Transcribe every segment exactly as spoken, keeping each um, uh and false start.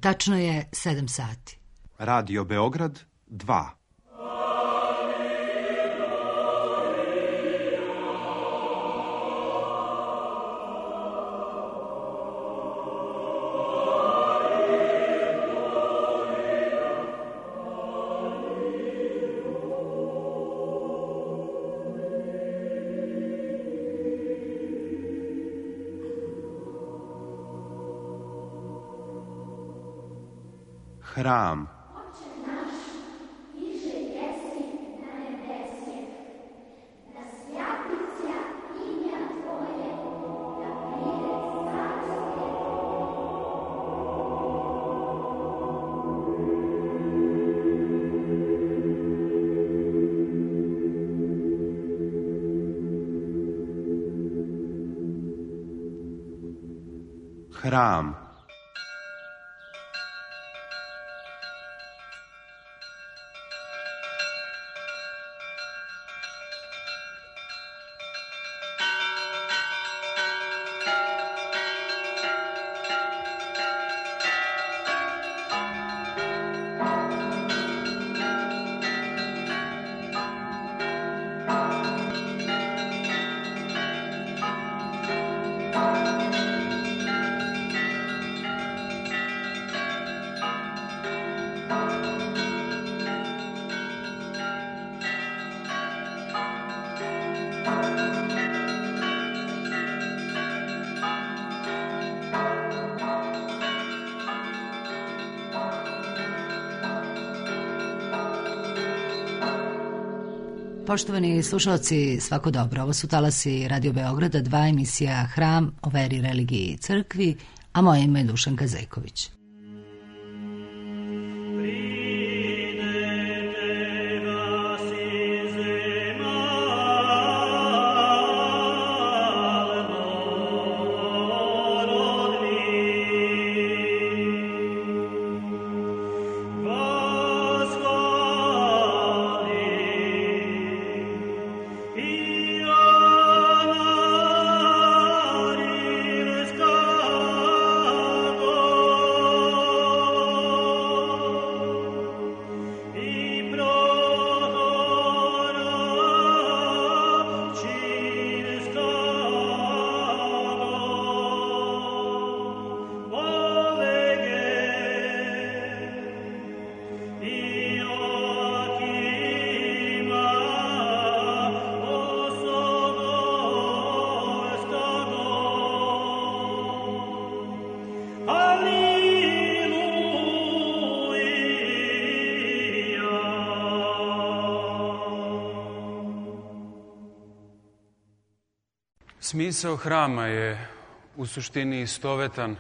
Tačno je sedam sati. Radio Beograd dva. Hram. Hram. Poštovani slušalci, svako dobro. Ovo su talasi Radio Beograda, dva, emisija Hram o veri, religiji i crkvi, a moje ime je Dušanka Zejković. Smisao hrama je u suštini istovetan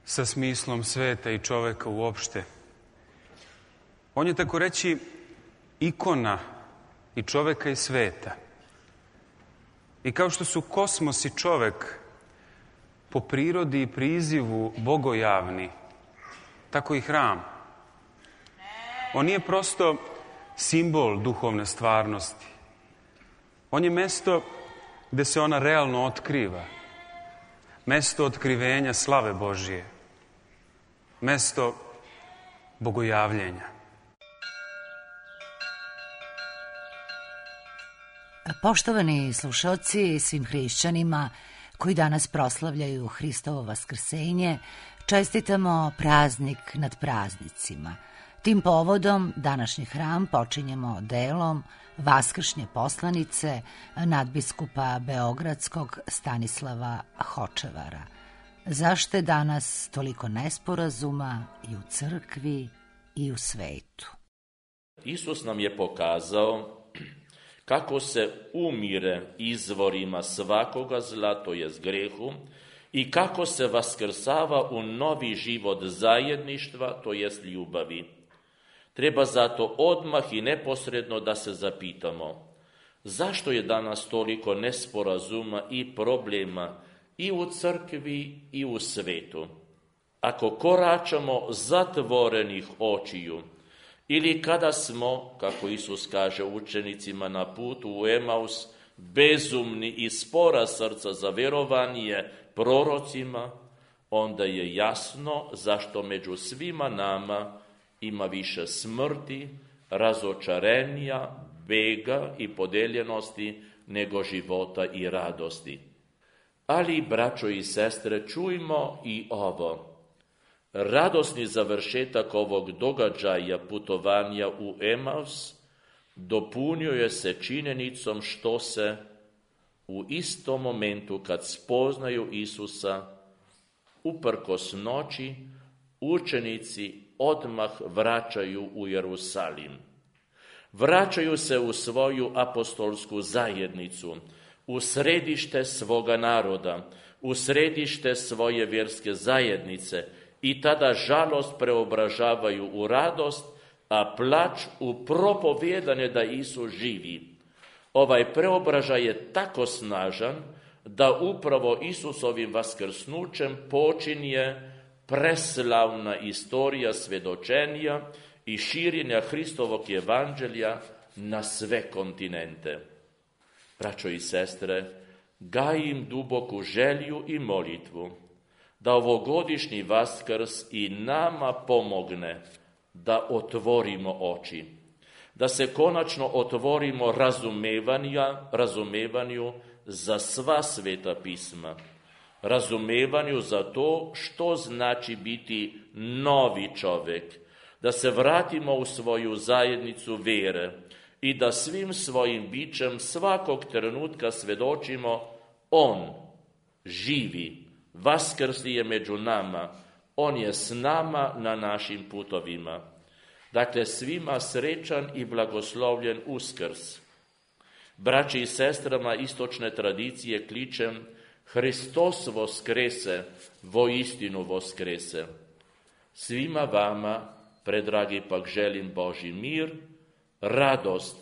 sa smislom sveta i čoveka uopšte. On je, tako reći, ikona i čoveka i sveta. I kao što su kosmos i čovek po prirodi i prizivu bogojavni, tako i hram. On nije prosto simbol duhovne stvarnosti. On je mesto gde se ona realno otkriva. Mesto otkrivenja slave Božije. Mesto bogojavljenja. Poštovani slušalci, svim hrišćanima koji danas proslavljaju Hristovo vaskrsenje, čestitamo praznik nad praznicima. Tim povodom današnji hram počinjemo delom vaskršnje poslanice nadbiskupa Beogradskog Stanislava Hočevara. Zašto je danas toliko nesporazuma i u crkvi i u svetu? Isus nam je pokazao kako se umire izvorima svakoga zla, to jest grehu, i kako se vaskrsava u novi život zajedništva, to jest ljubavi. Treba zato odmah i neposredno da se zapitamo zašto je danas toliko nesporazuma i problema i u crkvi i u svetu. Ako koračamo zatvorenih očiju ili kada smo, kako Isus kaže učenicima na putu u Emaus, bezumni i spora srca za verovanje prorocima, onda je jasno zašto među svima nama ima više smrti, razočarenja, bega i podeljenosti nego života i radosti. Ali, braćo i sestre, čujmo i ovo. Radosni završetak ovog događaja putovanja u Emaus dopunjuje se činjenicom što se u istom momentu kad spoznaju Isusa, uprkos noći, učenici odmah vraćaju u Jerusalim. Vraćaju se u svoju apostolsku zajednicu, u središte svoga naroda, u središte svoje vjerske zajednice i tada žalost preobražavaju u radost, a plač u propovijedanje da Isus živi. Ovaj preobražaj je tako snažan da upravo Isusovim vaskrsnućem počinje preslavna istorija svjedočenja i širenja Hristovog evanđelja na sve kontinente. Braćo i sestre, gajim duboku želju i molitvu da ovogodišnji Vaskrs i nama pomogne da otvorimo oči, da se konačno otvorimo razumevanju za sva sveta pisma, razumevanju za to što znači biti novi čovjek, da se vratimo u svoju zajednicu vjere i da svim svojim bićem svakog trenutka svjedočimo on živi, vaskrsli je među nama, on je s nama na našim putovima. Dakle, svima srećan i blagoslovljen Uskrs. Braći i sestrama istočne tradicije kličem Hristos voskrese, voistinu voskrese. Svima vama, predragi, pak želim Božji mir, radost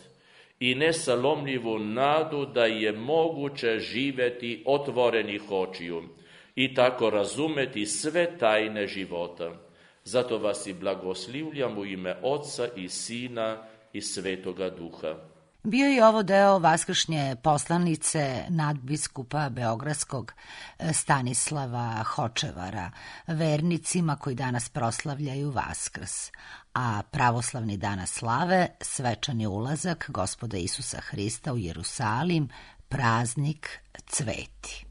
i nesalomljivu nadu da je moguće živjeti otvorenih očiju i tako razumeti sve tajne života. Zato vas i blagoslivljam u ime Oca i Sina i Svetoga Duha. Bio je ovo deo vaskršnje poslanice nadbiskupa Beogradskog Stanislava Hočevara, vernicima koji danas proslavljaju Vaskrs, a pravoslavni danas slave svečani ulazak Gospoda Isusa Hrista u Jerusalim, praznik cveti.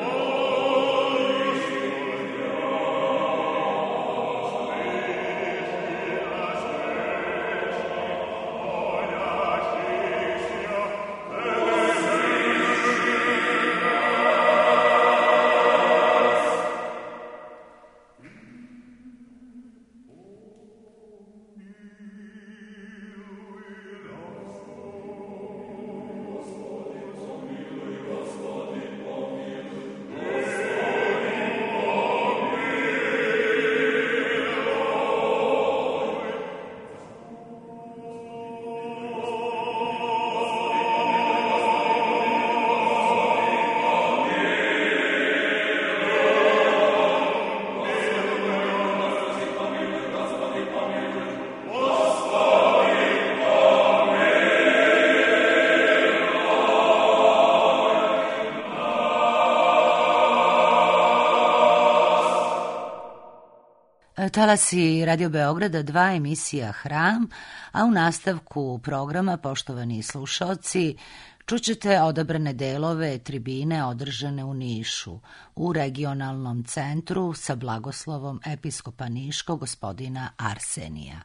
Oh Talasi Radio Beograda dva, emisija Hram, a u nastavku programa, poštovani slušaoci, čućete odabrane delove tribine održane u Nišu, u regionalnom centru sa blagoslovom episkopa Niškog gospodina Arsenija.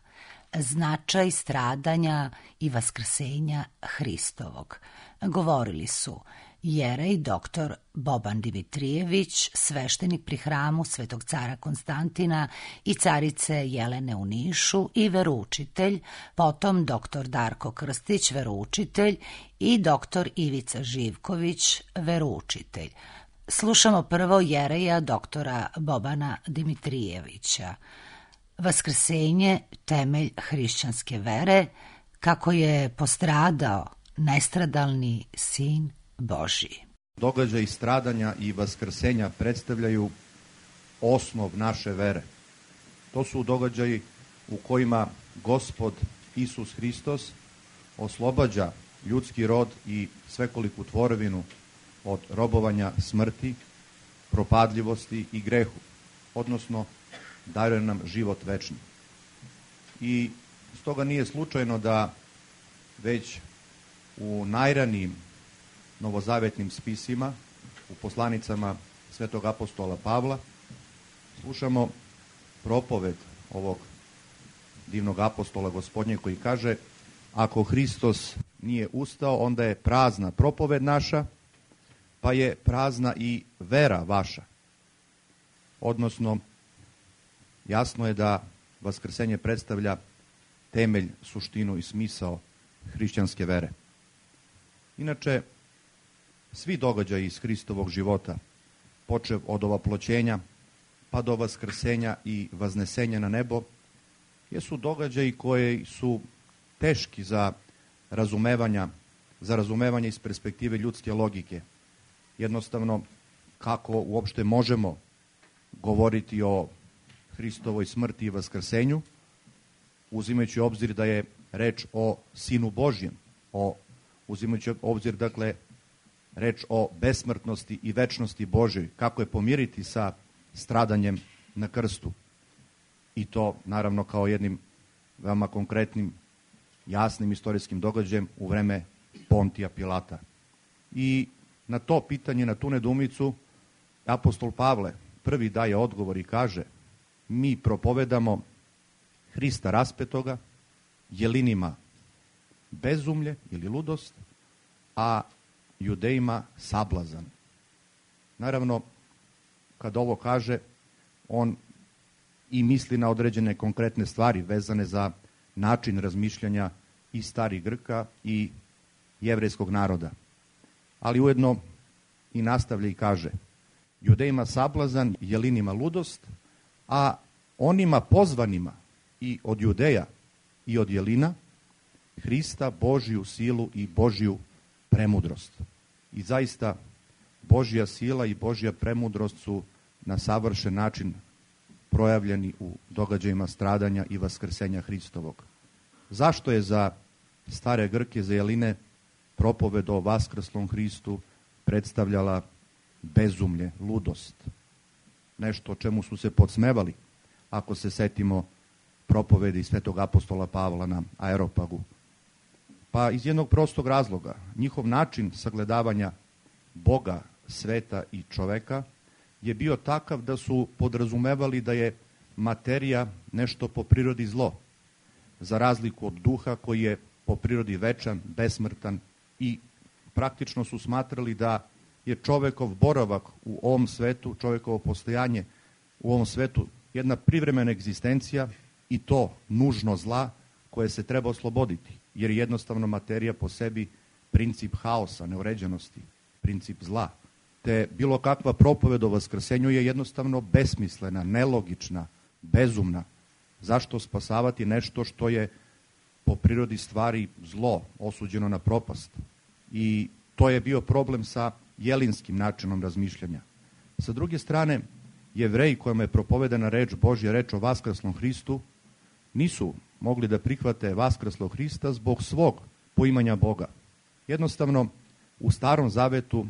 Značaj stradanja i vaskrsenja Hristovog. Govorili su jerej doktor Boban Dimitrijević, sveštenik pri hramu Svetog cara Konstantina i carice Jelene u Nišu i veroučitelj, potom doktor Darko Krstić, veroučitelj i doktor Ivica Živković, veroučitelj. Slušamo prvo jereja doktora Bobana Dimitrijevića. Vaskrsenje, temelj hrišćanske vere, kako je postradao nestradalni sin Božji. Događaji stradanja i vaskrsenja predstavljaju osnov naše vere. To su događaji u kojima Gospod Isus Hristos oslobađa ljudski rod i svekoliku tvorevinu od robovanja smrti, propadljivosti i grehu, odnosno daruje nam život večni. I stoga nije slučajno da već u najranijim novozavetnim spisima, u poslanicama svetog apostola Pavla, slušamo propoved ovog divnog apostola Gospodnje koji kaže: ako Hristos nije ustao, onda je prazna propoved naša, pa je prazna i vera vaša. Odnosno, jasno je da vaskrsenje predstavlja temelj, suštinu i smisao hrišćanske vere. Inače, svi događaji iz Hristovog života, počev od ovaploćenja pa do vaskrsenja i vaznesenja na nebo, jesu događaji koji su teški za razumevanja, za razumevanje iz perspektive ljudske logike. Jednostavno, kako uopšte možemo govoriti o Hristovoj smrti i vaskrsenju, uzimajući obzir da je reč o Sinu Božjem, o, uzimajući obzir, dakle, reč o besmrtnosti i večnosti Božjoj, kako je pomiriti sa stradanjem na krstu. I to, naravno, kao jednim veoma konkretnim, jasnim istorijskim događajem u vreme Pontija Pilata. I na to pitanje, na tu nedoumicu, apostol Pavle prvi daje odgovor i kaže: mi propovedamo Hrista raspetoga, Jelinima bezumlje ili ludost, a Judejima sablazan. Naravno, kad ovo kaže, on i misli na određene konkretne stvari vezane za način razmišljanja i starih Grka i jevrejskog naroda. Ali ujedno i nastavlja i kaže: Judejima sablazan, Jelinima ludost, a onima pozvanima i od Judeja i od Jelina Hrista Božju silu i Božju premudrost. I zaista Božja sila i Božja premudrost su na savršen način projavljeni u događajima stradanja i vaskrsenja Hristovog. Zašto je za stare Grke, za Jeline, propoved o vaskrslom Hristu predstavljala bezumlje, ludost? Nešto o čemu su se podsmevali, ako se setimo propovedi svetog apostola Pavla na Aeropagu. Pa iz jednog prostog razloga, njihov način sagledavanja Boga, sveta i čoveka je bio takav da su podrazumevali da je materija nešto po prirodi zlo, za razliku od duha koji je po prirodi večan, besmrtan, i praktično su smatrali da je čovekov boravak u ovom svetu, čovekovo postojanje u ovom svetu jedna privremena egzistencija, i to nužno zla koje se treba osloboditi, jer je jednostavno materija po sebi princip haosa, neuređenosti, princip zla. Te bilo kakva propoved o vaskrsenju je jednostavno besmislena, nelogična, bezumna. Zašto spasavati nešto što je po prirodi stvari zlo, osuđeno na propast? I to je bio problem sa jelinskim načinom razmišljanja. Sa druge strane, Jevreji kojima je propovedana reč Božja, reč o vaskrslom Hristu, nisu mogli da prihvate vaskrslog Hrista zbog svog poimanja Boga. Jednostavno, u Starom Zavetu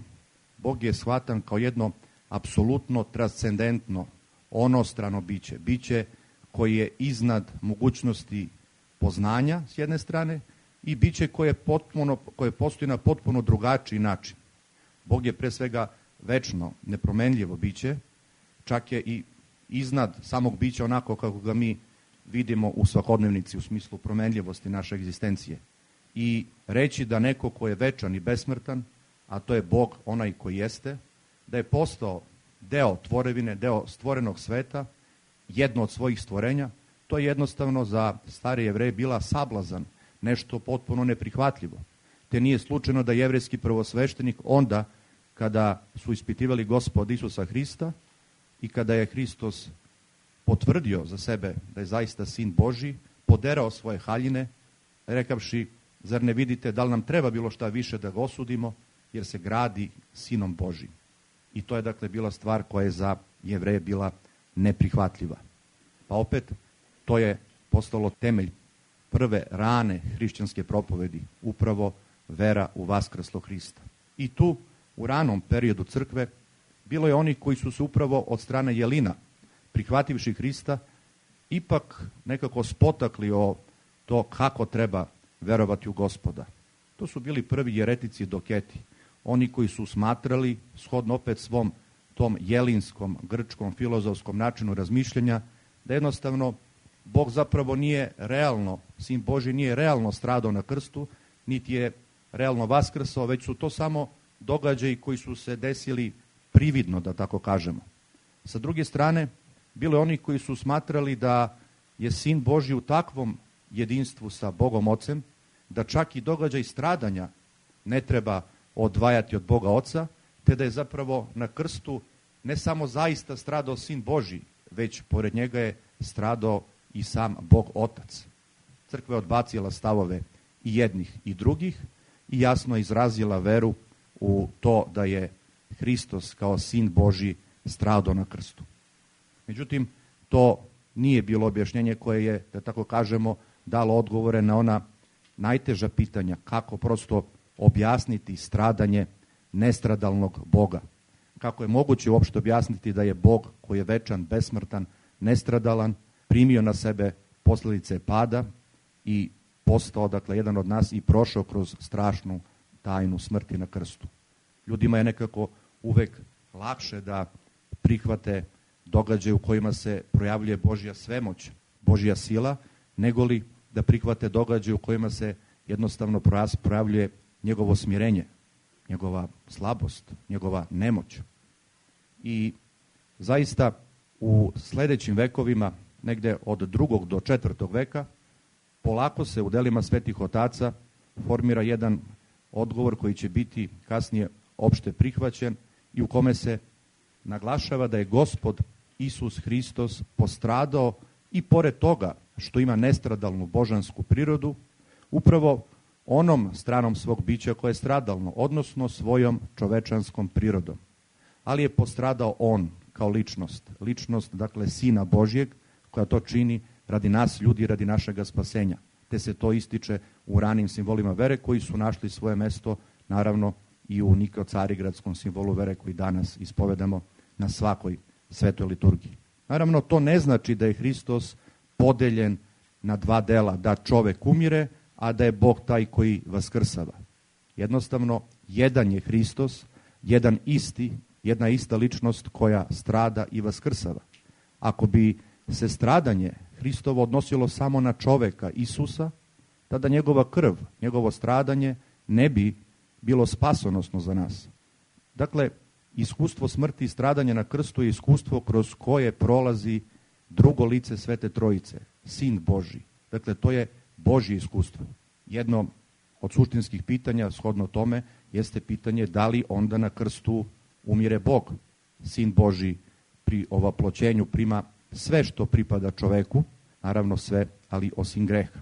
Bog je shvatan kao jedno apsolutno transcendentno, onostrano biće, biće koji je iznad mogućnosti poznanja s jedne strane i biće koje, potpuno, koje postoji na potpuno drugačiji način. Bog je pre svega večno, nepromenljivo biće, čak je i iznad samog bića onako kako ga mi vidimo u svakodnevnici u smislu promenljivosti naše egzistencije. I reći da neko ko je večan i besmrtan, a to je Bog onaj koji jeste, da je postao deo tvorevine, deo stvorenog sveta, jedno od svojih stvorenja, to je jednostavno za stari Jevreje bila sablazan, nešto potpuno neprihvatljivo. Te nije slučajno da jevrejski prvosveštenik onda kada su ispitivali Gospoda Isusa Hrista i kada je Hristos potvrdio za sebe da je zaista sin Božji, poderao svoje haljine, rekavši, zar ne vidite da li nam treba bilo šta više da ga osudimo, jer se gradi sinom Božjim. I to je dakle bila stvar koja je za Jevreje bila neprihvatljiva. Pa opet, to je postalo temelj prve rane hrišćanske propovedi, upravo vera u vaskrslog Hrista. I tu, u ranom periodu crkve, bilo je oni koji su se upravo od strane Jelina, prihvativši Hrista, ipak nekako spotakli o to kako treba verovati u Gospoda. To su bili prvi jeretici doketi, oni koji su smatrali, shodno opet svom tom jelinskom, grčkom, filozofskom načinu razmišljanja, da jednostavno Bog zapravo nije realno, sin Božji nije realno stradao na krstu, niti je realno vaskrsao, već su to samo događaji koji su se desili prividno, da tako kažemo. Sa druge strane, bilo je oni koji su smatrali da je sin Božji u takvom jedinstvu sa Bogom Ocem, da čak i događaj stradanja ne treba odvajati od Boga Oca, te da je zapravo na krstu ne samo zaista stradao sin Božji, već pored njega je stradao i sam Bog Otac. Crkva je odbacila stavove i jednih i drugih i jasno izrazila veru u to da je Hristos kao sin Božji stradao na krstu. Međutim, to nije bilo objašnjenje koje je, da tako kažemo, dalo odgovore na ona najteža pitanja, kako prosto objasniti stradanje nestradalnog Boga. Kako je moguće uopšte objasniti da je Bog koji je večan, besmrtan, nestradalan, primio na sebe posljedice pada i postao, dakle, jedan od nas i prošao kroz strašnu tajnu smrti na krstu. Ljudima je nekako uvek lakše da prihvate događaje u kojima se projavljuje Božja svemoć, Božja sila, nego li da prihvate događaje u kojima se jednostavno projavljuje njegovo smirenje, njegova slabost, njegova nemoć. I zaista u sljedećim vekovima, negde od drugog do četvrtog veka, polako se u delima svetih otaca formira jedan odgovor koji će biti kasnije opšte prihvaćen i u kome se naglašava da je Gospod Isus Hristos postradao i pored toga što ima nestradalnu božansku prirodu, upravo onom stranom svog bića koje je stradalno, odnosno svojom čovečanskom prirodom. Ali je postradao on kao ličnost, ličnost, dakle, Sina Božjeg, koja to čini radi nas ljudi, radi našega spasenja. Te se to ističe u ranim simbolima vere koji su našli svoje mesto, naravno, i u Nikeo-Carigradskom simbolu vere koji danas ispovedamo na svakoj svetoj liturgiji. Naravno, to ne znači da je Hristos podeljen na dva dela, da čovek umire, a da je Bog taj koji vaskrsava. Jednostavno, jedan je Hristos, jedan isti, jedna ista ličnost koja strada i vaskrsava. Ako bi se stradanje Hristovo odnosilo samo na čoveka Isusa, tada njegova krv, njegovo stradanje ne bi bilo spasonosno za nas. Dakle, iskustvo smrti i stradanja na krstu je iskustvo kroz koje prolazi drugo lice Svete Trojice, Sin Božji. Dakle, to je Božje iskustvo. Jedno od suštinskih pitanja, shodno tome, jeste pitanje da li onda na krstu umire Bog. Sin Božji pri ovaploćenju prima sve što pripada čoveku, naravno sve, ali osim greha.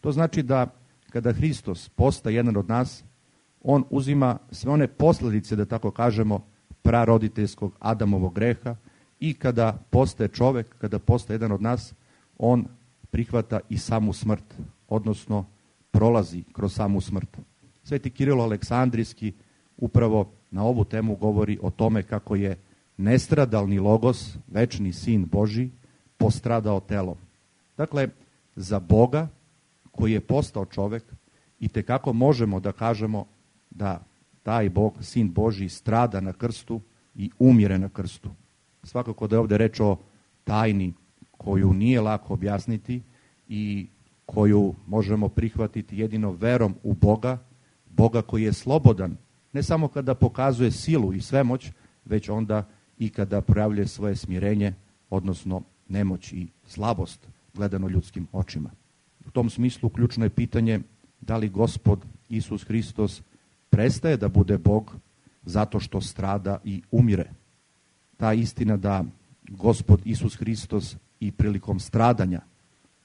To znači da kada Hristos postaje jedan od nas, on uzima sve one posljedice, da tako kažemo, praroditeljskog Adamovog greha i kada postaje čovek, kada postaje jedan od nas, on prihvata i samu smrt, odnosno prolazi kroz samu smrt. Sveti Kirilo Aleksandrijski upravo na ovu temu govori o tome kako je nestradalni Logos, večni Sin Božji, postradao telom. Dakle, za Boga koji je postao čovek i tekako možemo da kažemo da taj Bog, Sin Božji, strada na krstu i umire na krstu. Svakako da je ovde reč o tajni koju nije lako objasniti i koju možemo prihvatiti jedino verom u Boga, Boga koji je slobodan, ne samo kada pokazuje silu i svemoć, već onda i kada projavljuje svoje smirenje, odnosno nemoć i slabost, gledano ljudskim očima. U tom smislu ključno je pitanje da li Gospod Isus Hristos prestaje da bude Bog zato što strada i umire. Ta istina da Gospod Isus Hristos i prilikom stradanja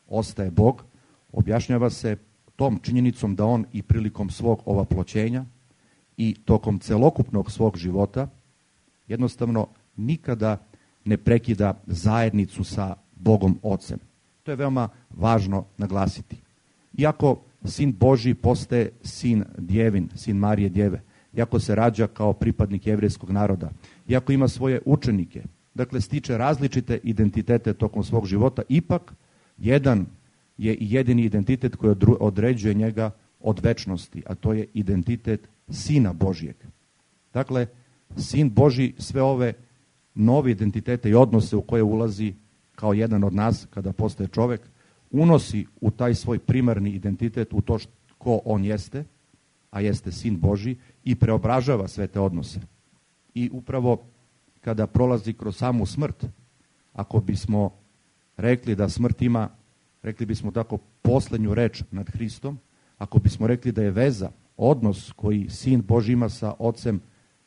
ostaje Bog, objašnjava se tom činjenicom da on i prilikom svog ovaploćenja i tokom celokupnog svog života jednostavno nikada ne prekida zajednicu sa Bogom Ocem. To je veoma važno naglasiti. Iako Sin Božji postaje sin djevin, sin Marije djeve, iako se rađa kao pripadnik jevrejskog naroda, iako ima svoje učenike, dakle stiče različite identitete tokom svog života, ipak jedan je i jedini identitet koji određuje njega od večnosti, a to je identitet Sina Božjeg. Dakle, Sin Božji sve ove nove identitete i odnose u koje ulazi kao jedan od nas kada postaje čovek, unosi u taj svoj primarni identitet, u to što, ko on jeste, a jeste Sin Božji, i preobražava sve te odnose. I upravo kada prolazi kroz samu smrt, ako bismo rekli da smrt ima, rekli bismo tako, poslednju reč nad Hristom, ako bismo rekli da je veza, odnos koji Sin Božji ima sa Ocem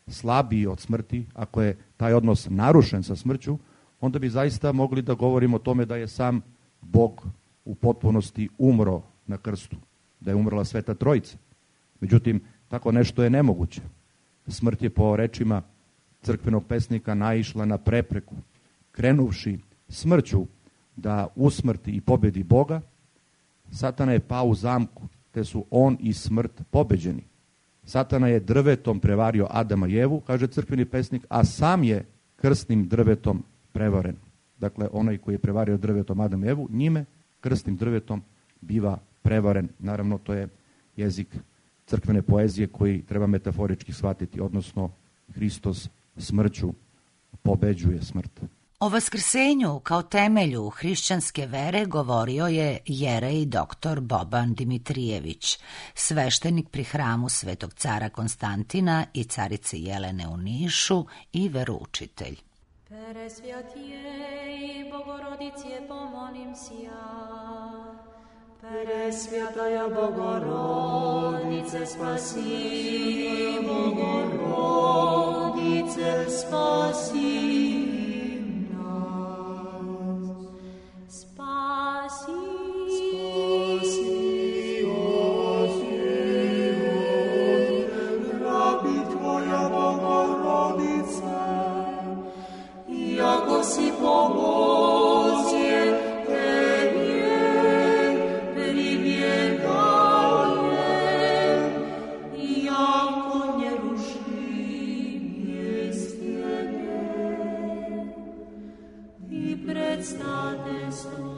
slabiji od smrti, ako je taj odnos narušen sa smrću, onda bi zaista mogli da govorimo o tome da je sam Bog u potpunosti umro na krstu, da je umrla Sveta Trojica. Međutim, tako nešto je nemoguće. Smrt je po rečima crkvenog pesnika naišla na prepreku, krenuvši smrću da usmrti i pobedi Boga, Satana je pao u zamku, te su on i smrt pobeđeni. Satana je drvetom prevario Adama i Evu, kaže crkveni pesnik, a sam je krstnim drvetom prevaren. Dakle, onaj koji je prevario drvetom Adam i Evu, njime krstnim drvetom biva prevaren. Naravno, to je jezik crkvene poezije koji treba metaforički shvatiti, odnosno Hristos smrću pobeđuje smrt. O vaskrsenju kao temelju hrišćanske vere govorio je jerej doktor Boban Dimitrijević, sveštenik pri hramu Svetog cara Konstantina i carice Jelene u Nišu i veroučitelj. Presvjatijej Bogorodice, pomolim si ja. Presvjataja Bogorodice, spasi, Bogorodice, spasi. Si pomozie Tebie pribiegajem, jako nieruszim jest Ciebie i predstane sto.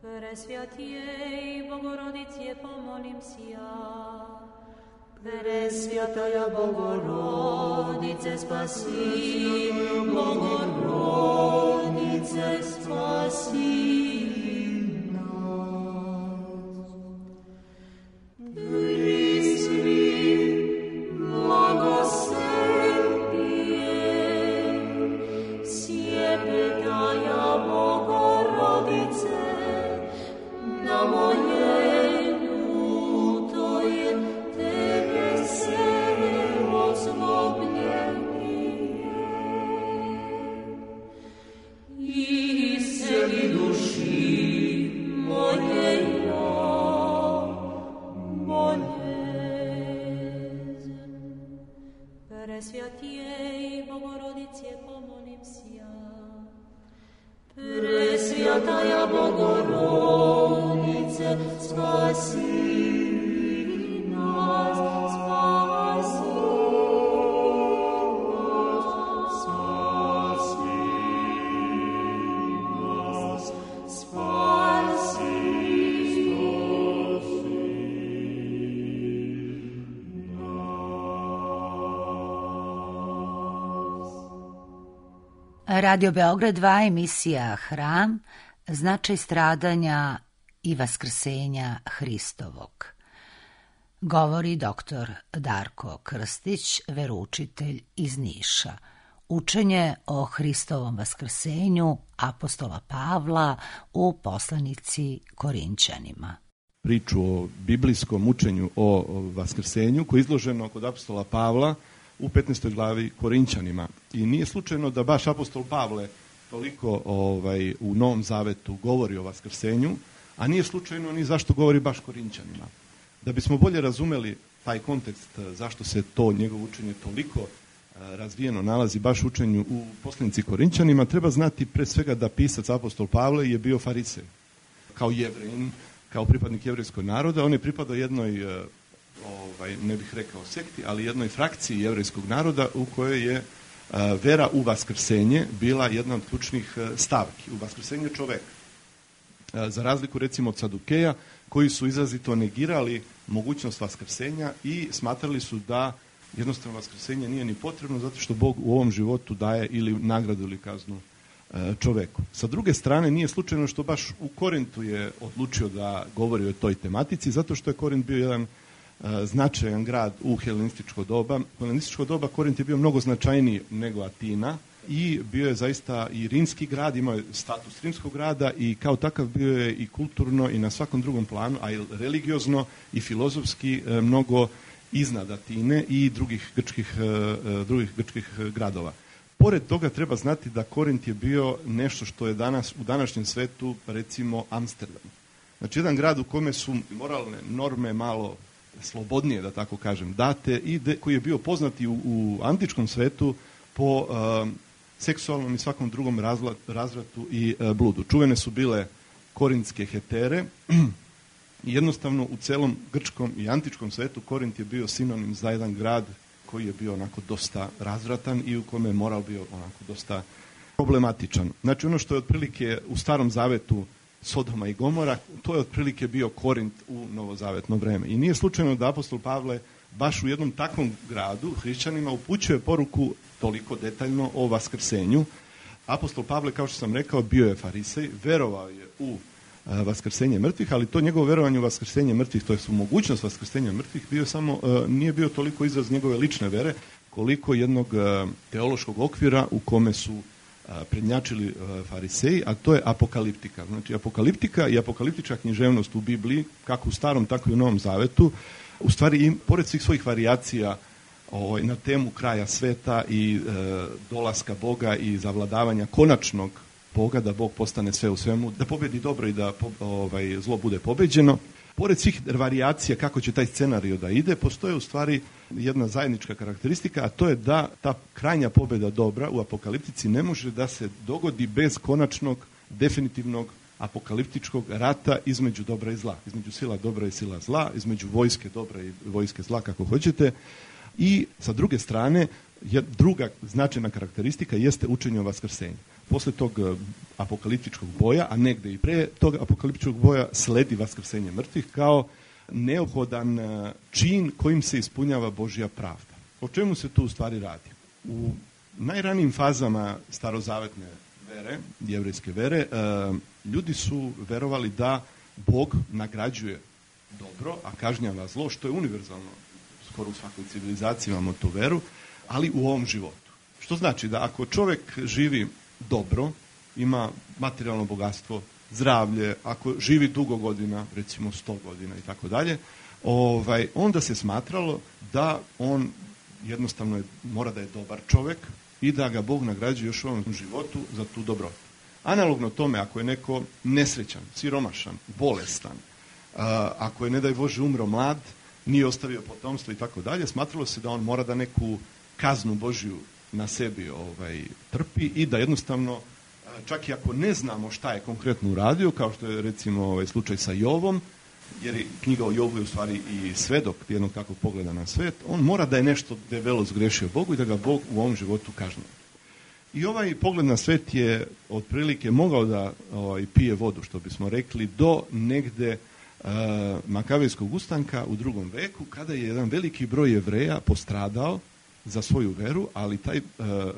Presvjatijej Bogorodice, pomolim si ja. Presvjataja Bogorodice, spasi, Bogorodice, spasi nas. Prisvi, blagoslepije, sjepetaja Bogorodice, na moje Presvjatijej Bogorodice, pomolim si ja. Presvjataja Bogorodice, spasi nas, spasi nas, spasi nas. Radio Beograd dva, emisija Hram, značaj stradanja i vaskrsenja Hristovog. Govori doktor Darko Krstić, veroučitelj iz Niša. Učenje o Hristovom vaskrsenju apostola Pavla u poslanici Korinćanima. Priču o biblijskom učenju o vaskrsenju koje je izloženo kod apostola Pavla u petnaestoj glavi Korinćanima. I nije slučajno da baš apostol Pavle toliko ovaj, u Novom Zavetu govori o vaskrsenju, a nije slučajno ni zašto govori baš Korinćanima. Da bismo bolje razumeli taj kontekst zašto se to njegovo učenje toliko razvijeno nalazi baš u učenju u poslanici Korinćanima, treba znati pre svega da pisac apostol Pavle je bio farisej. Kao Jevrejin, kao pripadnik jevrejskog naroda, on je pripadao jednoj, ovaj, ne bih rekao sekti, ali jednoj frakciji jevrejskog naroda u kojoj je vera u vaskrsenje bila jedna od ključnih stavki, u vaskrsenje čoveka. Za razliku recimo od Sadukeja, koji su izrazito negirali mogućnost vaskrsenja i smatrali su da jednostavno vaskrsenje nije ni potrebno zato što Bog u ovom životu daje ili nagradu ili kaznu čoveku. Sa druge strane, nije slučajno što baš u Korintu je odlučio da govori o toj tematici, zato što je Korint bio jedan značajan grad u helenističko doba. U helenističko doba Korint je bio mnogo značajniji nego Atina i bio je zaista i rimski grad, imao je status rimskog grada i kao takav bio je i kulturno i na svakom drugom planu, a i religiozno i filozofski mnogo iznad Atine i drugih grčkih, drugih grčkih gradova. Pored toga treba znati da Korint je bio nešto što je danas u današnjem svetu recimo Amsterdam. Znači jedan grad u kome su moralne norme malo slobodnije, da tako kažem, date i de, koji je bio poznati u, u antičkom svetu po uh, seksualnom i svakom drugom razla, razvratu i uh, bludu. Čuvene su bile korintske hetere i jednostavno u celom grčkom i antičkom svetu Korint je bio sinonim za jedan grad koji je bio onako dosta razvratan i u kome je moral bio onako dosta problematičan. Znači ono što je otprilike u Starom Zavetu Sodoma i Gomora, to je otprilike bio Korint u novozavetno vreme. I nije slučajno da apostol Pavle baš u jednom takvom gradu hrišćanima upućuje poruku toliko detaljno o vaskrsenju. Apostol Pavle, kao što sam rekao, bio je farisej, verovao je u a, vaskrsenje mrtvih, ali to njegovo verovanje u vaskrsenje mrtvih, to je u mogućnost vaskrsenja mrtvih, bio samo, a, nije bio toliko izraz njegove lične vere, koliko jednog a, teološkog okvira u kome su prednjačili fariseji, a to je apokaliptika. Znači, apokaliptika i apokaliptička književnost u Bibliji, kako u Starom, tako i u Novom Zavetu, u stvari, im, pored svih svojih varijacija o, na temu kraja sveta i e, dolaska Boga i zavladavanja konačnog Boga, da Bog postane sve u svemu, da pobedi dobro i da po, ovaj, zlo bude pobeđeno, pored svih varijacija kako će taj scenario da ide, postoje u stvari jedna zajednička karakteristika, a to je da ta krajnja pobjeda dobra u apokaliptici ne može da se dogodi bez konačnog, definitivnog apokaliptičkog rata između dobra i zla. Između sila dobra i sila zla, između vojske dobra i vojske zla, kako hoćete. I sa druge strane, druga značajna karakteristika jeste učenje o vaskrsenju. Posle tog apokaliptičkog boja, a negde i pre tog apokaliptičkog boja, sledi vaskrsenje mrtvih kao neophodan čin kojim se ispunjava Božja pravda. O čemu se tu u stvari radi? U najranijim fazama starozavetne vere, jevrejske vere, ljudi su verovali da Bog nagrađuje dobro, a kažnjava zlo, što je univerzalno. Skoro u svakoj civilizaciji imamo tu veru, ali u ovom životu. Što znači da ako čovjek živi dobro, ima materijalno bogatstvo, zdravlje, ako živi dugo godina, recimo sto godina i tako dalje, ovaj, onda se smatralo da on jednostavno je, mora da je dobar čovjek i da ga Bog nagrađuje još u ovom životu za tu dobrotu. Analogno tome, ako je neko nesrećan, siromašan, bolestan, a, ako je, ne daj Bože, umro mlad, nije ostavio potomstvo i tako dalje, smatralo se da on mora da neku kaznu Božju na sebi ovaj, trpi i da jednostavno, čak i ako ne znamo šta je konkretno uradio, kao što je recimo ovaj, slučaj sa Jovom, jer je knjiga o Jovu je u stvari i svedok jednog takvog pogleda na svet, on mora da je nešto debelo zgrešio Bogu i da ga Bog u ovom životu kažnjava. I ovaj pogled na svet je otprilike mogao da ovaj, pije vodu, što bismo rekli, do negde uh, Makavejskog ustanka u drugom veku, kada je jedan veliki broj Jevreja postradao za svoju veru, ali taj,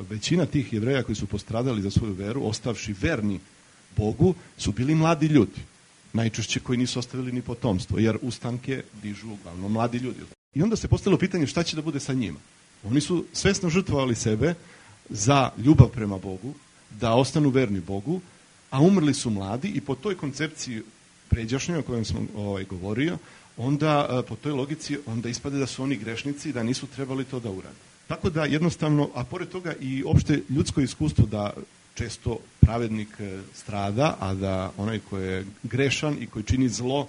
većina tih Jevreja koji su postradali za svoju veru, ostavši verni Bogu, su bili mladi ljudi. Najčešće koji nisu ostavili ni potomstvo, jer ustanke dižu uglavnom mladi ljudi. I onda se postavilo pitanje šta će da bude sa njima. Oni su svesno žrtvovali sebe za ljubav prema Bogu, da ostanu verni Bogu, a umrli su mladi i po toj koncepciji pređašnjoj o kojem sam ovaj, govorio, onda po toj logici onda ispade da su oni grešnici i da nisu trebali to da urade. Tako da jednostavno, a pored toga i opšte ljudsko iskustvo da često pravednik strada, a da onaj koji je grešan i koji čini zlo,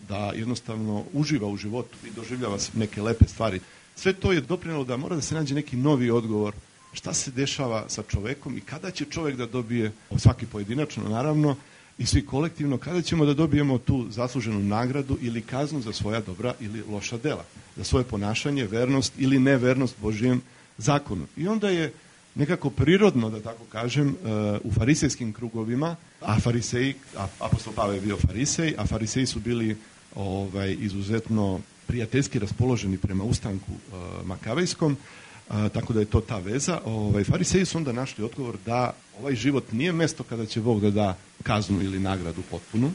da jednostavno uživa u životu i doživljava neke lepe stvari. Sve to je doprinelo da mora da se nađe neki novi odgovor šta se dešava sa čovekom i kada će čovek da dobije, svaki pojedinačno naravno, i svi kolektivno, kada ćemo da dobijemo tu zasluženu nagradu ili kaznu za svoja dobra ili loša dela, za svoje ponašanje, vernost ili nevernost Božijem zakonu. I onda je nekako prirodno, da tako kažem, u farisejskim krugovima, a fariseji, a apostol Pavle je bio farisej, a fariseji su bili ovaj, izuzetno prijateljski raspoloženi prema ustanku uh, makavejskom, uh, tako da je to ta veza. Ovaj, fariseji su onda našli odgovor da ovaj život nije mesto kada će Bog da da kaznu ili nagradu potpunu,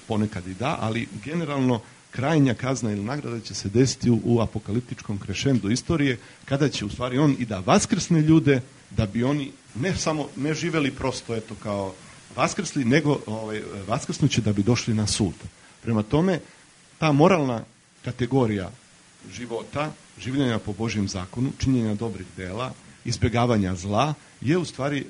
ponekad i da, ali generalno krajnja kazna ili nagrada će se desiti u, u apokaliptičkom krešendu istorije, kada će u stvari on i da vaskrsne ljude, da bi oni ne samo ne živeli prosto eto kao vaskrsli, nego ovaj, vaskrsnuće da bi došli na sud. Prema tome, ta moralna kategorija života, življenja po Božjem zakonu, činjenja dobrih dela, izbjegavanja zla, je u stvari e,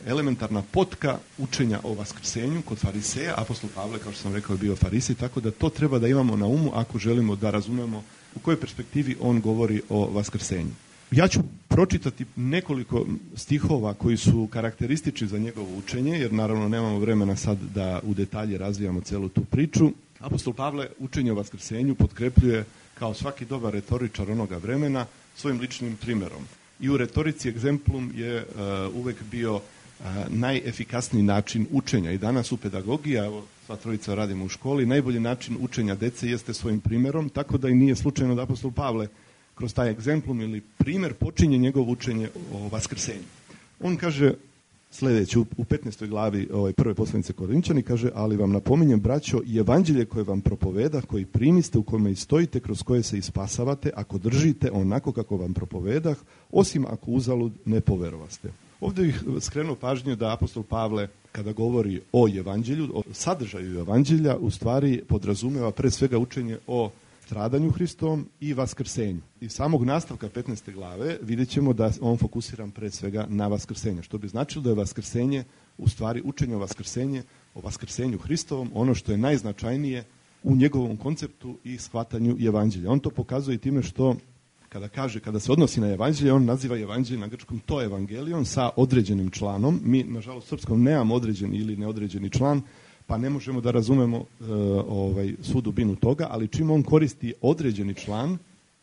elementarna potka učenja o vaskrsenju kod fariseja. Apostol Pavle, kao što sam rekao, je bio farisej, tako da to treba da imamo na umu ako želimo da razumemo u kojoj perspektivi on govori o vaskrsenju. Ja ću pročitati nekoliko stihova koji su karakteristični za njegovo učenje, jer naravno nemamo vremena sad da u detalje razvijamo celu tu priču. Apostol Pavle učenje o vaskrsenju potkrepljuje kao svaki dobar retoričar onoga vremena svojim ličnim primerom. I u retorici egzemplum je uh, uvek bio uh, najefikasniji način učenja. I danas u pedagogiji, evo sva trojica radimo u školi, najbolji način učenja dece jeste svojim primerom, tako da i nije slučajno da apostol Pavle kroz taj egzemplum ili primer počinje njegovo učenje o vaskrsenju. On kaže sljedeće, u petnaestoj glavi ovaj, prve poslanice Korinčani, kaže, ali vam napominjem, braćo, i evanđelje koje vam propoveda, koji primiste, u kome i stojite, kroz koje se ispasavate, ako držite onako kako vam propovedah, osim ako uzalud ne poverovaste. Ovdje bih skrenuo pažnju da apostol Pavle, kada govori o evanđelju, o sadržaju evanđelja, u stvari podrazumeva pre svega učenje o stradanju Hristovom i vaskrsenju. Iz samog nastavka petnaeste glave vidjet ćemo da on fokusiran pre svega na vaskrsenje, što bi značilo da je vaskrsenje u stvari učenje o vaskrsenje, o vaskrsenju Hristovom, ono što je najznačajnije u njegovom konceptu i shvatanju evanđelja. On to pokazuje time što kada kaže, kada se odnosi na evanđelje, on naziva evanđelje na grčkom to evangelion sa određenim članom. Mi, nažalost, u srpskom nemamo određeni ili neodređeni član, pa ne možemo da razumemo e, ovaj, svu dubinu toga, ali čim on koristi određeni član,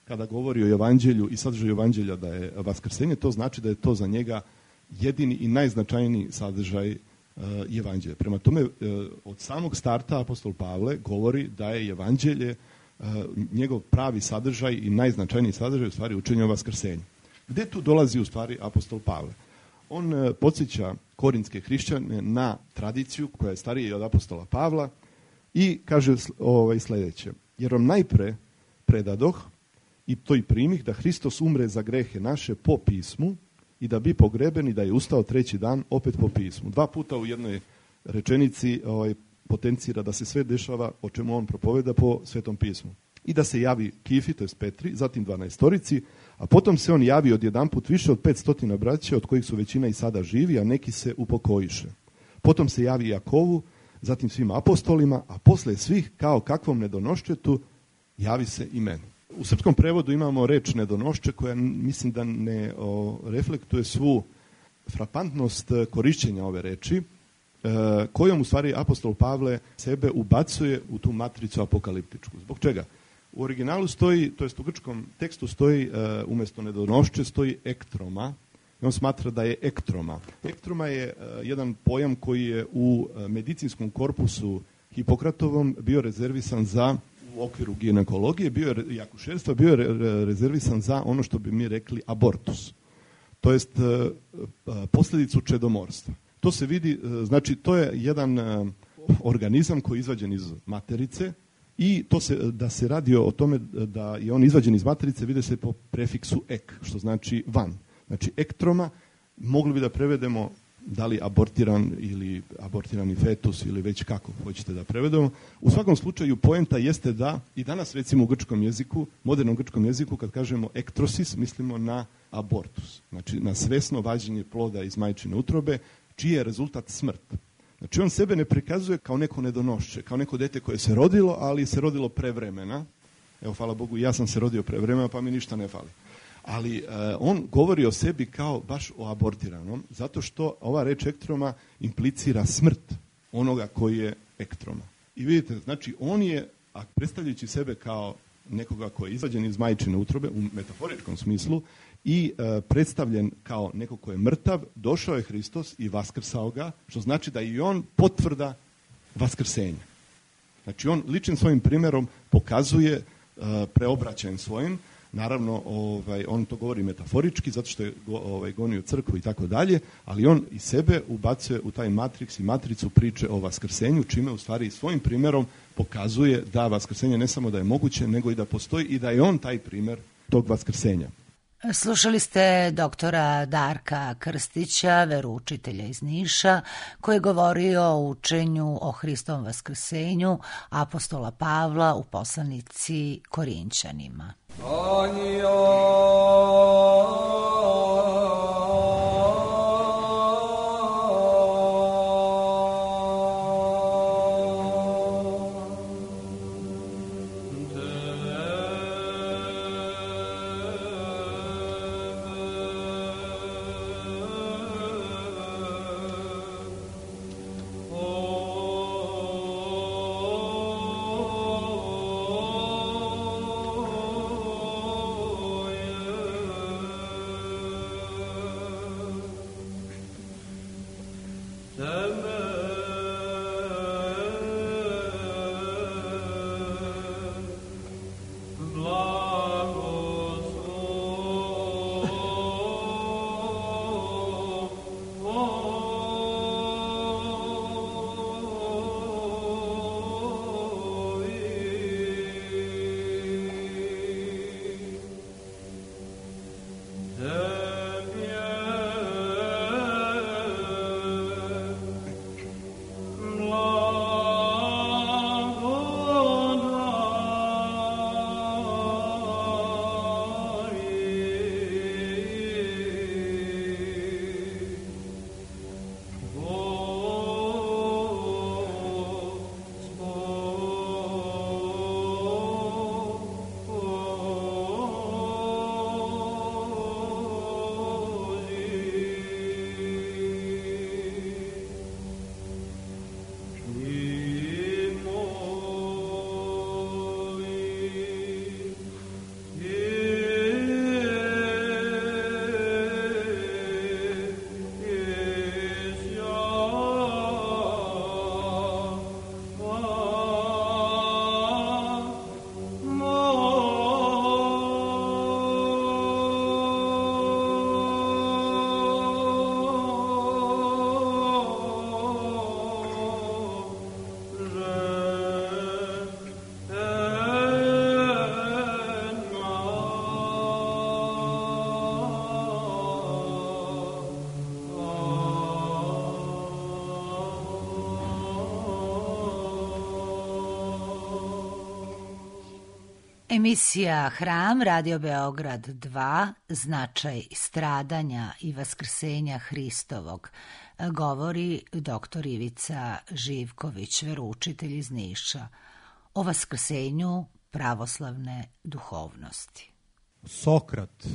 kada govori o evanđelju i sadržaju evanđelja da je vaskrsenje, to znači da je to za njega jedini i najznačajniji sadržaj e, evanđelja. Prema tome, e, od samog starta apostol Pavle govori da je evanđelje e, njegov pravi sadržaj i najznačajniji sadržaj u stvari učenje o vaskrsenju. Gde tu dolazi u stvari apostol Pavle? On e, podsjeća korinske hrišćane na tradiciju koja je starija od apostola Pavla i kaže ovaj, sljedeće. Jer vam najpre predadoh i to i primih da Hristos umre za grehe naše po pismu i da bi pogreben i da je ustao treći dan opet po pismu. Dva puta u jednoj rečenici ovaj, potencira da se sve dešava o čemu on propoveda po Svetom pismu. I da se javi Kifi, to je Petri, zatim dvanaestorici, a potom se on javi odjedanput više od petstotina braća, od kojih su većina i sada živi, a neki se upokojiše. Potom se javi Jakovu, zatim svim apostolima, a posle svih, kao kakvom nedonoščetu, javi se i meni. U srpskom prevodu imamo reč nedonošče, koja mislim da ne o, reflektuje svu frapantnost korišćenja ove reči, e, kojom u stvari apostol Pavle sebe ubacuje u tu matricu apokaliptičku. Zbog čega? U originalu stoji, to jest u grčkom tekstu stoji, uh, umjesto nedonošče stoji ektroma. I on smatra da je ektroma. Ektroma je uh, jedan pojam koji je u uh, medicinskom korpusu Hipokratovom bio rezervisan za u okviru ginekologije bio je, i akušerstva bio je rezervisan za ono što bi mi rekli abortus. To jest posljedicu čedomorstva. To se vidi, znači to je jedan organizam koji je izvađen iz materice i to se, da se radi o tome da je on izvađen iz materice vide se po prefiksu ek, što znači van. Znači ektroma, mogli bi da prevedemo da li abortiran ili abortirani fetus ili već kako hoćete da prevedemo. U svakom slučaju poenta jeste da i danas recimo u grčkom jeziku, modernom grčkom jeziku kad kažemo ektrosis mislimo na abortus. Znači na svesno vađenje ploda iz majčine utrobe čiji je rezultat smrt. Znači on sebe ne prikazuje kao neko nedonošće, kao neko dete koje se rodilo, ali se rodilo pre vremena. Evo, hvala Bogu, ja sam se rodio pre vremena pa mi ništa ne fali. Ali uh, on govori o sebi kao baš o abortiranom, zato što ova reč ektroma implicira smrt onoga koji je ektroma. I vidite, znači on je, a predstavljajući sebe kao nekoga koji je izvađen iz majčine utrobe, u metaforičkom smislu, i uh, predstavljen kao neko ko je mrtav, došao je Hristos i vaskrsao ga, što znači da i on potvrda vaskrsenja. Znači on ličnim svojim primjerom pokazuje uh, preobraćajem svojim. Naravno, ovaj, on to govori metaforički, zato što je go, ovaj, gonio crkvu i tako dalje, ali on i sebe ubacuje u taj matriks i matricu priče o vaskrsenju, čime u stvari svojim primjerom pokazuje da vaskrsenje ne samo da je moguće, nego i da postoji i da je on taj primjer tog vaskrsenja. Slušali ste doktora Darka Krstića, veroučitelja iz Niša, koji je govorio o učenju o Hristovom vaskrsenju apostola Pavla u poslanici Korinćanima. Emisija Hram, Radio Beograd dva, značaj stradanja i vaskrsenja Hristovog, govori doktor Ivica Živković, veroučitelj iz Niša, o vaskrsenju pravoslavne duhovnosti. Sokrat,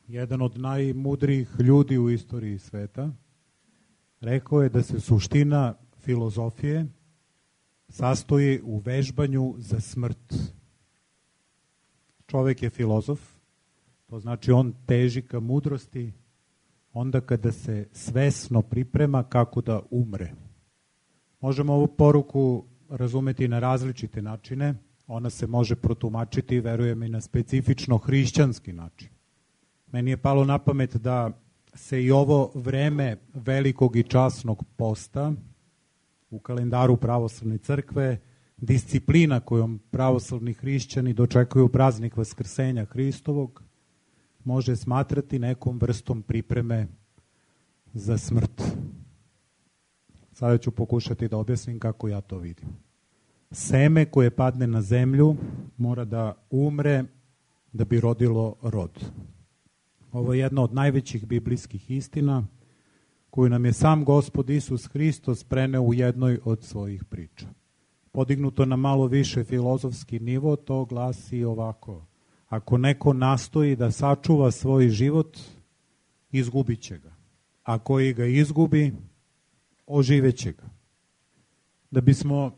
jedan od najmudrijih ljudi u istoriji sveta, rekao je da se suština filozofije sastoji u vežbanju za smrt. Čovek je filozof, to znači on teži ka mudrosti onda kada se svesno priprema kako da umre. Možemo ovu poruku razumeti na različite načine. Ona se može protumačiti, verujem, i na specifično hrišćanski način. Meni je palo na pamet da se i ovo vreme velikog i časnog posta u kalendaru pravoslavne crkve, disciplina kojom pravoslavni hrišćani dočekuju praznik Vaskrsenja Hristovog, može smatrati nekom vrstom pripreme za smrt. Sada ću pokušati da objasnim kako ja to vidim. Seme koje padne na zemlju mora da umre da bi rodilo rod. Ovo je jedna od najvećih biblijskih istina koju nam je sam Gospod Isus Hristos preneo u jednoj od svojih priča. Podignuto na malo više filozofski nivo, to glasi ovako: ako neko nastoji da sačuva svoj život, izgubit će ga. A koji ga izgubi, oživeće ga. Da bismo,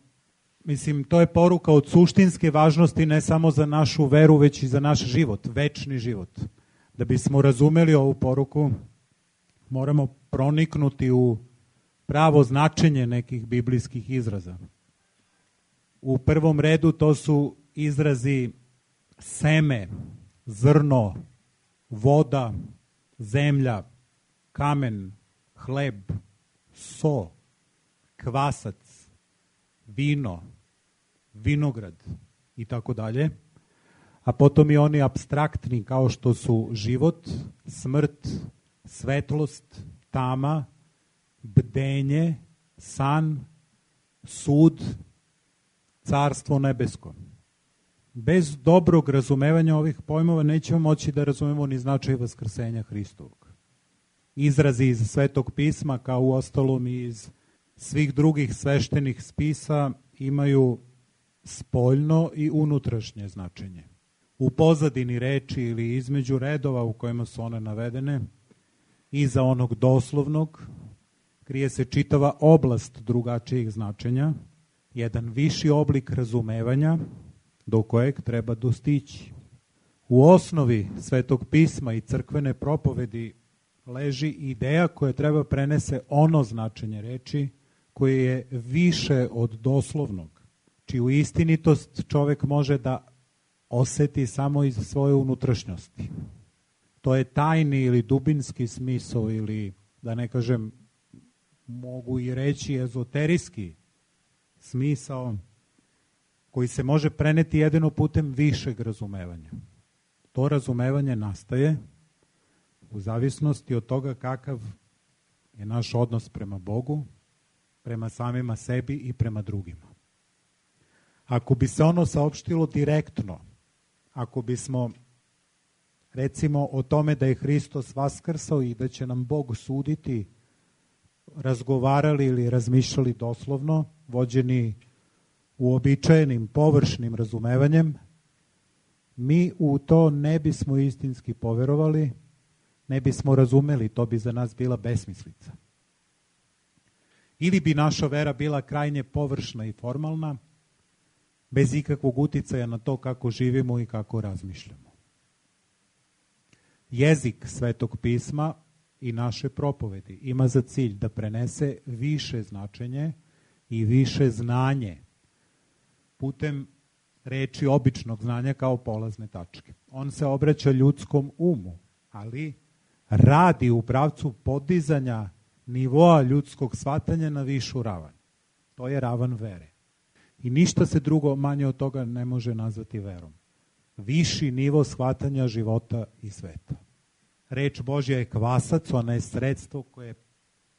mislim, to je poruka od suštinske važnosti ne samo za našu veru, već i za naš život, večni život. Da bismo razumeli ovu poruku, moramo proniknuti u pravo značenje nekih biblijskih izraza. U prvom redu to su izrazi seme, zrno, voda, zemlja, kamen, hleb, so, kvasac, vino, vinograd i tako dalje. A potom i oni apstraktni kao što su život, smrt, svetlost, tama, bdenje, san, sud, carstvo nebesko. Bez dobrog razumevanja ovih pojmova nećemo moći da razumemo ni značaj Vaskrsenja Hristovog. Izrazi iz Svetog pisma, kao u ostalom i iz svih drugih sveštenih spisa, imaju spoljno i unutrašnje značenje. U pozadini reči ili između redova u kojima su one navedene, iza onog doslovnog, krije se čitava oblast drugačijih značenja, jedan viši oblik razumevanja do kojeg treba dostići. U osnovi Svetog pisma i crkvene propovedi leži ideja koja treba prenese ono značenje reči koje je više od doslovnog, čiju istinitost čovek može da oseti samo iz svoje unutrašnjosti. To je tajni ili dubinski smisao ili, da ne kažem, mogu i reći ezoterijski smisao koji se može preneti jedino putem višeg razumevanja. To razumevanje nastaje u zavisnosti od toga kakav je naš odnos prema Bogu, prema samima sebi i prema drugima. Ako bi se ono saopštilo direktno, ako bismo, recimo, o tome da je Hristos vaskrsao i da će nam Bog suditi, razgovarali ili razmišljali doslovno, vođeni uobičajenim površnim razumevanjem, mi u to ne bismo istinski poverovali, ne bismo razumeli, to bi za nas bila besmislica. Ili bi naša vera bila krajnje površna i formalna, bez ikakvog uticaja na to kako živimo i kako razmišljamo. Jezik Svetog pisma i naše propovedi ima za cilj da prenese više značenje i više znanje putem reči običnog znanja kao polazne tačke. On se obraća ljudskom umu, ali radi u pravcu podizanja nivoa ljudskog shvatanja na višu ravan. To je ravan vere. I ništa se drugo manje od toga ne može nazvati verom. Viši nivo shvatanja života i sveta. Reč Božja je kvasac, ona je sredstvo koje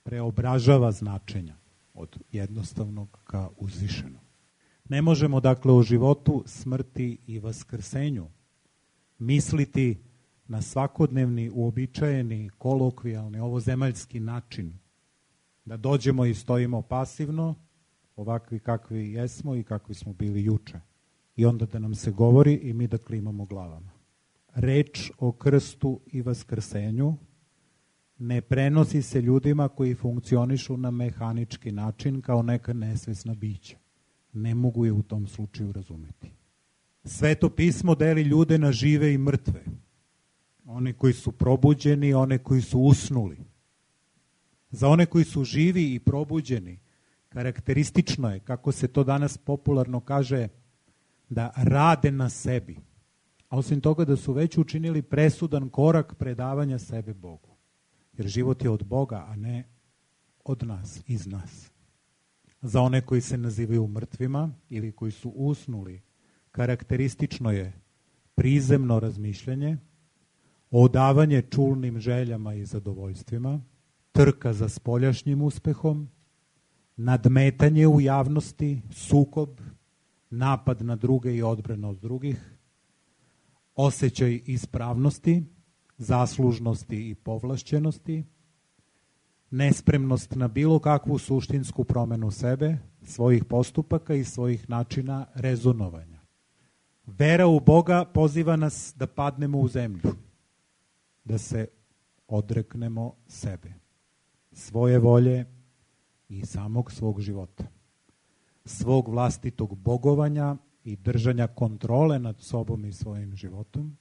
preobražava značenja od jednostavnog ka uzvišenog. Ne možemo, dakle, o životu, smrti i vaskrsenju misliti na svakodnevni, uobičajeni, kolokvijalni, ovozemaljski način, da dođemo i stojimo pasivno, ovakvi kakvi jesmo i kakvi smo bili juče. I onda da nam se govori i mi da klimamo glavama. Reč o krstu i vaskrsenju ne prenosi se ljudima koji funkcionišu na mehanički način kao neka nesvesna bića. Ne mogu je u tom slučaju razumeti. Sveto pismo deli ljude na žive i mrtve. One koji su probuđeni, one koji su usnuli. Za one koji su živi i probuđeni, Karakteristično je, kako se to danas popularno kaže, da rade na sebi. A osim toga da su već učinili presudan korak predavanja sebe Bogu. Jer život je od Boga, a ne od nas, iz nas. Za one koji se nazivaju mrtvima ili koji su usnuli, karakteristično je prizemno razmišljanje, odavanje čulnim željama i zadovoljstvima, trka za spoljašnjim uspehom, nadmetanje u javnosti, sukob, napad na druge i odbrana od drugih, osjećaj ispravnosti, zaslužnosti i povlašćenosti, nespremnost na bilo kakvu suštinsku promenu sebe, svojih postupaka i svojih načina rezonovanja. Vera u Boga poziva nas da padnemo u zemlju, da se odreknemo sebe, svoje volje i samog svog života, svog vlastitog bogovanja i držanja kontrole nad sobom i svojim životom.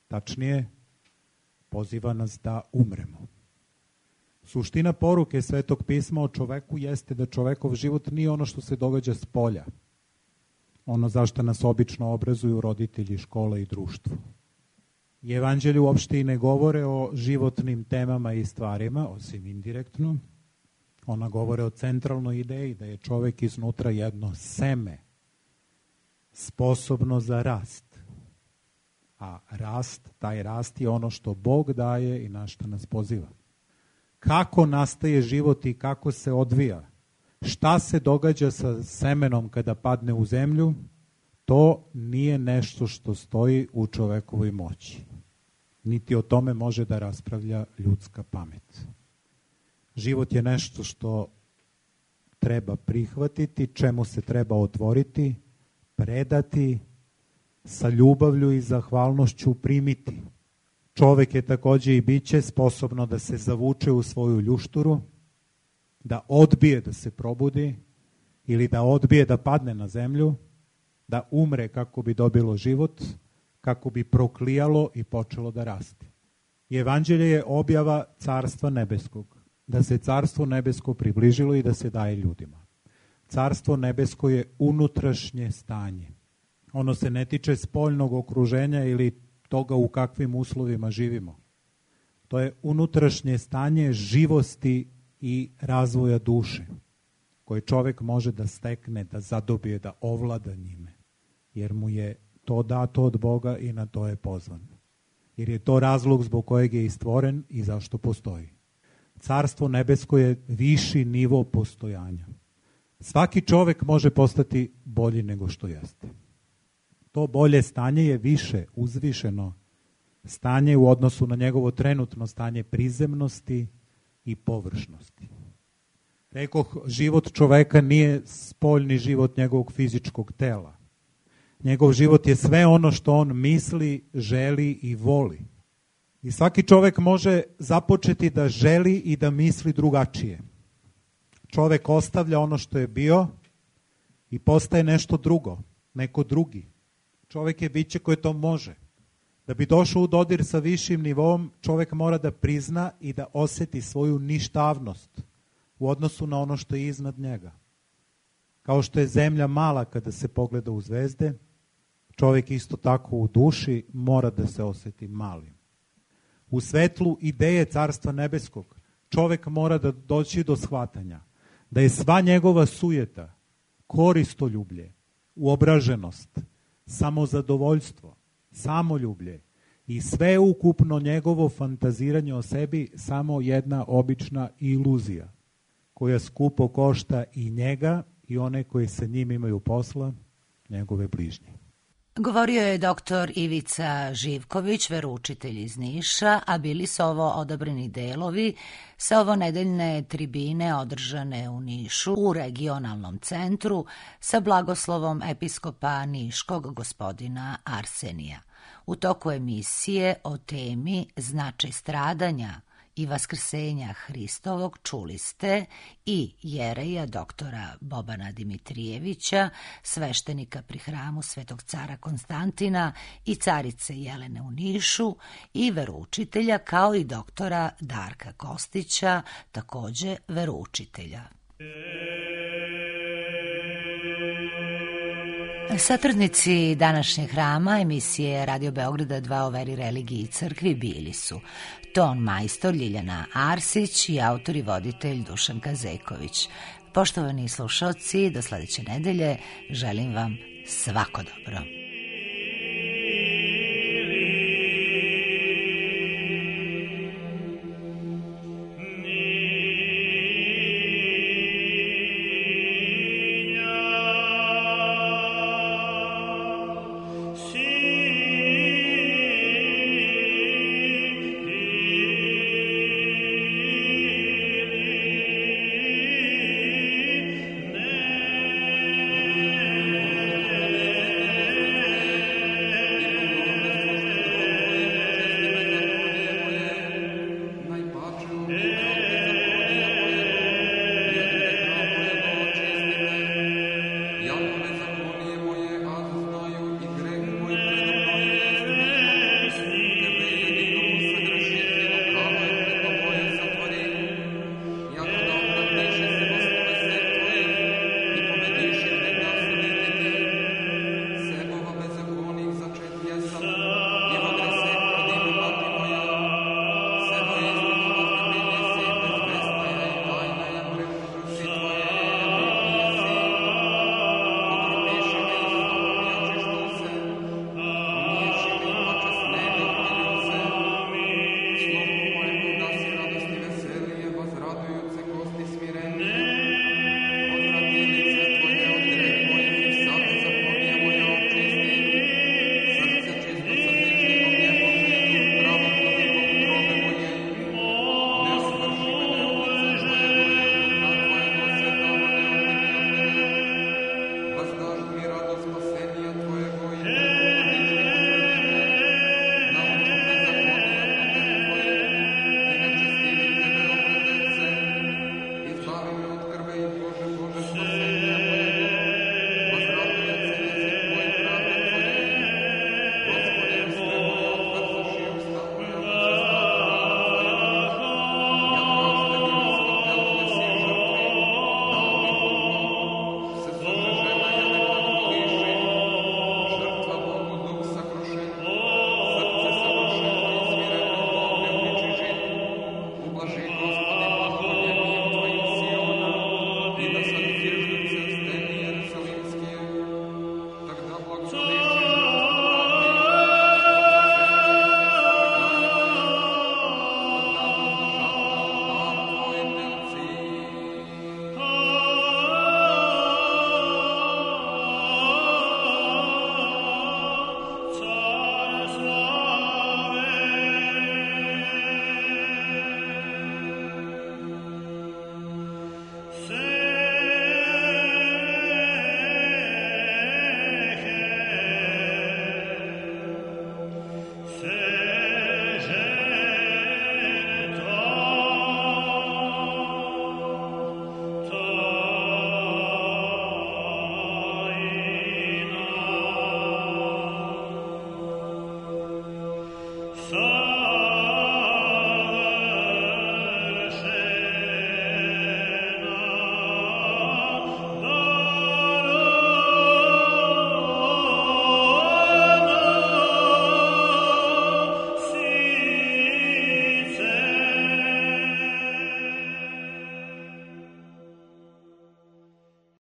Tačnije, poziva nas da umremo. Suština poruke Svetog pisma o čoveku jeste da čovekov život nije ono što se događa s polja, ono zašto nas obično obrazuju roditelji, škola i društvo. I evanđelje uopšte i ne govore o životnim temama i stvarima, osim indirektno. Ona govore o centralnoj ideji da je čovek iznutra jedno seme, sposobno za rast. A rast, taj rast je ono što Bog daje i na što nas poziva. Kako nastaje život i kako se odvija, šta se događa sa semenom kada padne u zemlju, to nije nešto što stoji u čovekovoj moći. Niti o tome može da raspravlja ljudska pamet. Život je nešto što treba prihvatiti, čemu se treba otvoriti, predati, sa ljubavlju i zahvalnošću primiti. Čovek je takođe i biće sposobno da se zavuče u svoju ljušturu, da odbije da se probudi ili da odbije da padne na zemlju, da umre kako bi dobilo život, kako bi proklijalo i počelo da raste. I evanđelje je objava Carstva nebeskog, da se Carstvo nebesko približilo i da se daje ljudima. Carstvo nebesko je unutrašnje stanje. Ono se ne tiče spoljnog okruženja ili toga u kakvim uslovima živimo. To je unutrašnje stanje živosti i razvoja duše, koje čovek može da stekne, da zadobije, da ovlada njime. Jer mu je to dato od Boga i na to je pozvan. Jer je to razlog zbog kojeg je i stvoren i zašto postoji. Carstvo nebesko je viši nivo postojanja. Svaki čovek može postati bolji nego što jeste. To bolje stanje je više, uzvišeno stanje u odnosu na njegovo trenutno stanje prizemnosti i površnosti. Rekoh, život čoveka nije spoljni život njegovog fizičkog tela. Njegov život je sve ono što on misli, želi i voli. I svaki čovek može započeti da želi i da misli drugačije. Čovek ostavlja ono što je bio i postaje nešto drugo, neko drugi. Čovek je biće koje to može. Da bi došao u dodir sa višim nivom, čovek mora da prizna i da oseti svoju ništavnost u odnosu na ono što je iznad njega. Kao što je zemlja mala kada se pogleda u zvezde, čovek isto tako u duši mora da se oseti malim. U svetlu ideje Carstva nebeskog, čovek mora da doći do shvatanja da je sva njegova sujeta, koristoljublje, uobraženost, samozadovoljstvo, samoljublje i sve ukupno njegovo fantaziranje o sebi samo jedna obična iluzija koja skupo košta i njega i one koji sa njim imaju posla, njegove bližnje. Govorio je doktor Ivica Živković, veroučitelj iz Niša, a bili su ovo odabrani delovi sa ovonedeljne tribine održane u Nišu u regionalnom centru sa blagoslovom episkopa Niškog gospodina Arsenija. U toku emisije o temi Značaj stradanja i vaskrsenja Hristovog čuli ste i jereja doktora Bobana Dimitrijevića, sveštenika pri hramu Svetog cara Konstantina i carice Jelene u Nišu i veroučitelja, kao i doktora Darka Kostića, takođe veroučitelja. Satrudnici današnjeg hrama emisije Radio Beograda dva o veri, religiji i crkvi bili su ton majstor Ljiljana Arsić i autor i voditelj Dušan Kazeković. Poštovani slušaoci, do sledeće nedelje želim vam svako dobro.